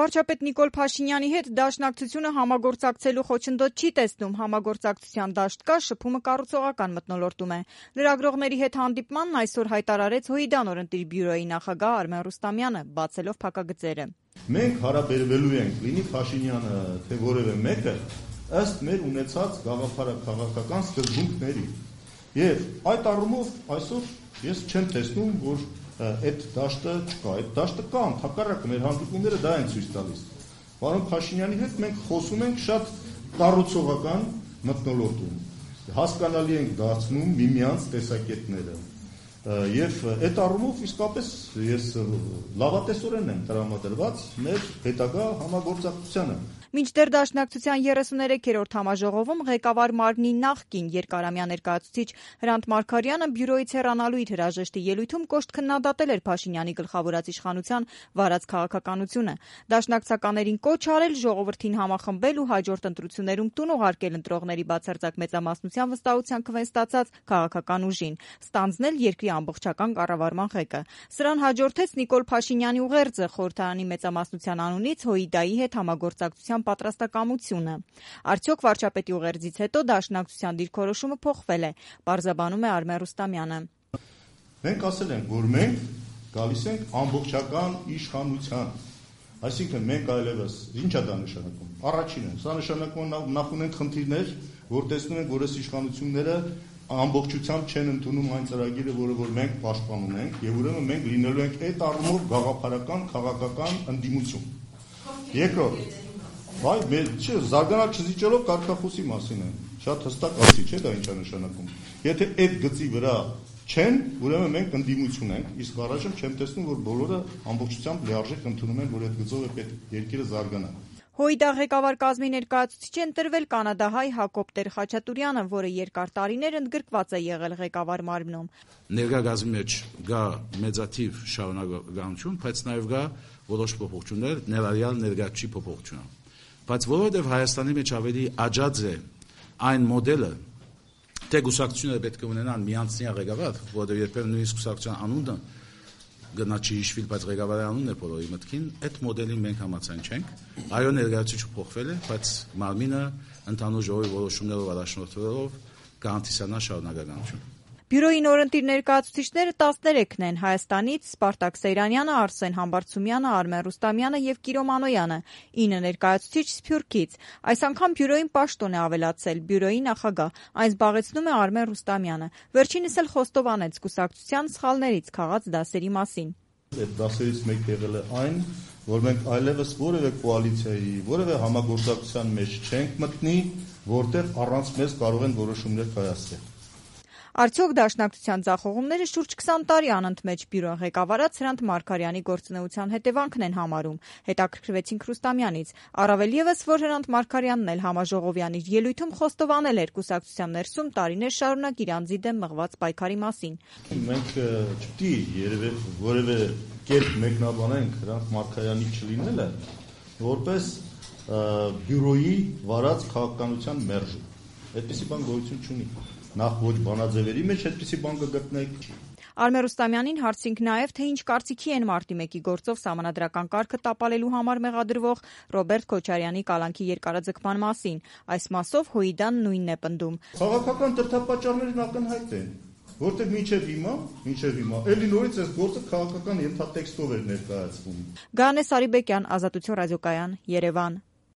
Վարչապետ Նիկոլ Փաշինյանի հետ Դաշնակցությունը համագործակցելու խոչընդոտ չի տեսնում, համագործակցության դաշտ կա, շփումը կառուցողական մթնոլորտում է։ Լրագրողների հետ հանդիպմանն այսօր հայտարարեց ՀՅԴ նորընտիր բյուրոյի նախագահ Արմեն Ռուստամյանը, բացելով փակագծերը։ Մենք հարաբերվելու ենք լինի Փաշինյանը, թե որևէ մեկը, ըստ մեր ունեցած գաղափարաքաղաքական սկզբունքների։ Եվ այդ առումով այսօր ես չեմ տեսնում, որ այդ դաշտը չկա, այդ դաշտը կա, ընդհակառակը մեր հանդիպումները դա են ցույց տալիս։ Պարոն Փաշինյանի հետ մենք խոսում ենք շատ կառուցողական մթնոլորտում, հասկանալի ենք դարձնում միմյանց տեսակետները։ Եվ այդ առումով իսկապես ես լավատեսորեն եմ տրամադրված մեր հետագա համագործակցությանը։ Մինչդեռ Դաշնակցության 33-րդ համաժողովում ղեկավար մարմնի նախկին երկարամյա ներկայացուցիչ Հրանտ Մարգարյանը բյուրոյից հեռանալու իր հրաժեշտի ելույթում կոշտ քննադատել էր Փաշինյանի գլխավորած իշխանության վարած քաղաքականությունը։ Դաշնակցականներին կոչ արել ժողովրդին համախմբել ու հաջորդ ընտրություններում տուն ուղարկել ընտրողների բացարձակ մեծամասնության վստահության քվեն ստացած քաղաքական ուժին, ստանձնել երկրի ամբողջական կառավարման ղեկը։ Սրան հաջորդեց Նիկոլ Փաշինյանի ուղերձը խորհրդարանի մեծամասնության անունից ՀՅԴ-ի հետ համագործակցության պատրաստակամությունը։ Արդյոք վարչապետի ուղերձից հետո Դաշնակցության դիրքորոշումը փոխվել է, պարզաբանում է Արմեն Ռուստամյանը։ Մենք ասել ենք, որ մենք գալիս ենք ամբողջական իշխանության, այսինքն մենք այլևս ինչ է դա նշանակում։ Առաջինը, սա նշանակում նախ ունենք խնդիրներ, որ տեսնում ենք, որ այս իշխանությունները ամբողջությամբ չեն ընդունում այն ծրագիրը, որը որ մենք պաշտպանում ենք, եւ ուրեմն մենք լինելու ենք այդ առումով գաղափարական, քաղաքական ընդդիմություն։ Երկրորդ, զարգանալ չզիջելով կարգախոսի մասին է, շատ հստակ ասի, չէ՞ դա ինչ է նշանակում։ Եթե այդ գծի վրա չեն, ուրեմն մենք ընդդիմություն ենք, իսկ առայժմ չեմ տեսնում, որ բոլորը ամբողջությամբ լիարժեք ընդունում են, որ այդ գծով է պետք երկիրը զարգանա։ ՀՅԴ ղեկավար կազմի ներկայացուցիչ է ընտրվել կանադահայ Հակոբ Տեր-Խաչատուրյանը, որը երկար տարիներ ընդգրկված է եղել ղեկավար մարմնում։ Ներկա գազի մեջ գա մեծաթիվ շարունակականություն, բայց նաև գա որոշ փոփոխություններ, ներառյալ ներկայացուցիչ փոփոխությունը։ Բայց որովհետև Հայաստանի մեջ ավելի աջած է այն մոդելը, թե կուսակցությունները պետք է ունենան միանձնյա ղեկավար, որովհետև երբեմն նույնիսկ կուսակցության անունը գնա չի հիշվի, բայց ղեկավարի անունն է բոլորի մտքին, այդ մոդելին մենք համաձայն չենք։ Այո, ներկայացուցիչը փոխվել է, բայց մարմինը ընդհանուր ժողովի որոշումներով առաջնորդվելով կհանդիսանա շարունակականություն։ Բյուրոյի նորընտիր ներկայացուցիչները 13-ն են՝ Հայաստանից Սպարտակ Սեյրանյանը, Արսեն Համբարձումյանը, Արմեն Ռուստամյանը եւ Կիրո Մանոյանը, 9 ներկայացուցիչ Սփյուռքից։ Այս անգամ բյուրոյին պաշտոն է ավելացել բյուրոյի նախագահ, այն զբաղեցնում է Արմեն Ռուստամյանը։ Վերջինս էլ խոստովանեց կուսակցության սխալներից քաղած դասերի մասին։ Այդ դասերից մեկը եղել է այն, որ մենք այլևս որևէ կոալիցիայի, որևէ համագործակցության մեջ չենք մտնի, որտեղ առանց մեզ կարող են որոշումներ կայացնել։ Արդյոք Դաշնակցության ձախողումները շուրջ 20 տարի անընդմեջ բյուրոն ղեկավարած Հրանտ Մարգարյանի գործունեության հետևանքն են համարում, հետաքրքրվեցինք Ռուստամյանից։ Առավել ևս, որ Հրանտ Մարգարյանն էլ համաժողովյան իր ելույթում խոստովանել էր կուսակցության ներսում տարիներ շարունակ իր անձի դեմ մղված պայքարի մասին։ Մենք չպետք է որևէ կերպ մեկնաբանենք Հրանտ Մարգարյանի չլինելը որպես բյուրոյի վարած քաղաքականության մերժ։ Այդպիսի բան գոյություն չունի։ Նախ ոչ բանաձևերի մեջ այդպիսի բան կգտնեք։ Արմեն Ռուստամյանին հարցինք նաև, թե ինչ կարծիքի են մարտի 1-ի գործով սահմանադրական կարգը տապալելու համար մեղադրվող Ռոբերտ Քոչարյանի կալանքի երկարաձգման մասին։ Այս մասով ՀՅԴ-ն նույնն է պնդում։ Քաղաքական դրդապատճառներն ակնհայտ են, որտեղ մինչև հիմա էլի նորից այս գործը քաղաքական ենթատեքստով էր ներկայացվում։ Գարանե Սարիբեկյան, Ազատություն ռադիոկայան, Երևան։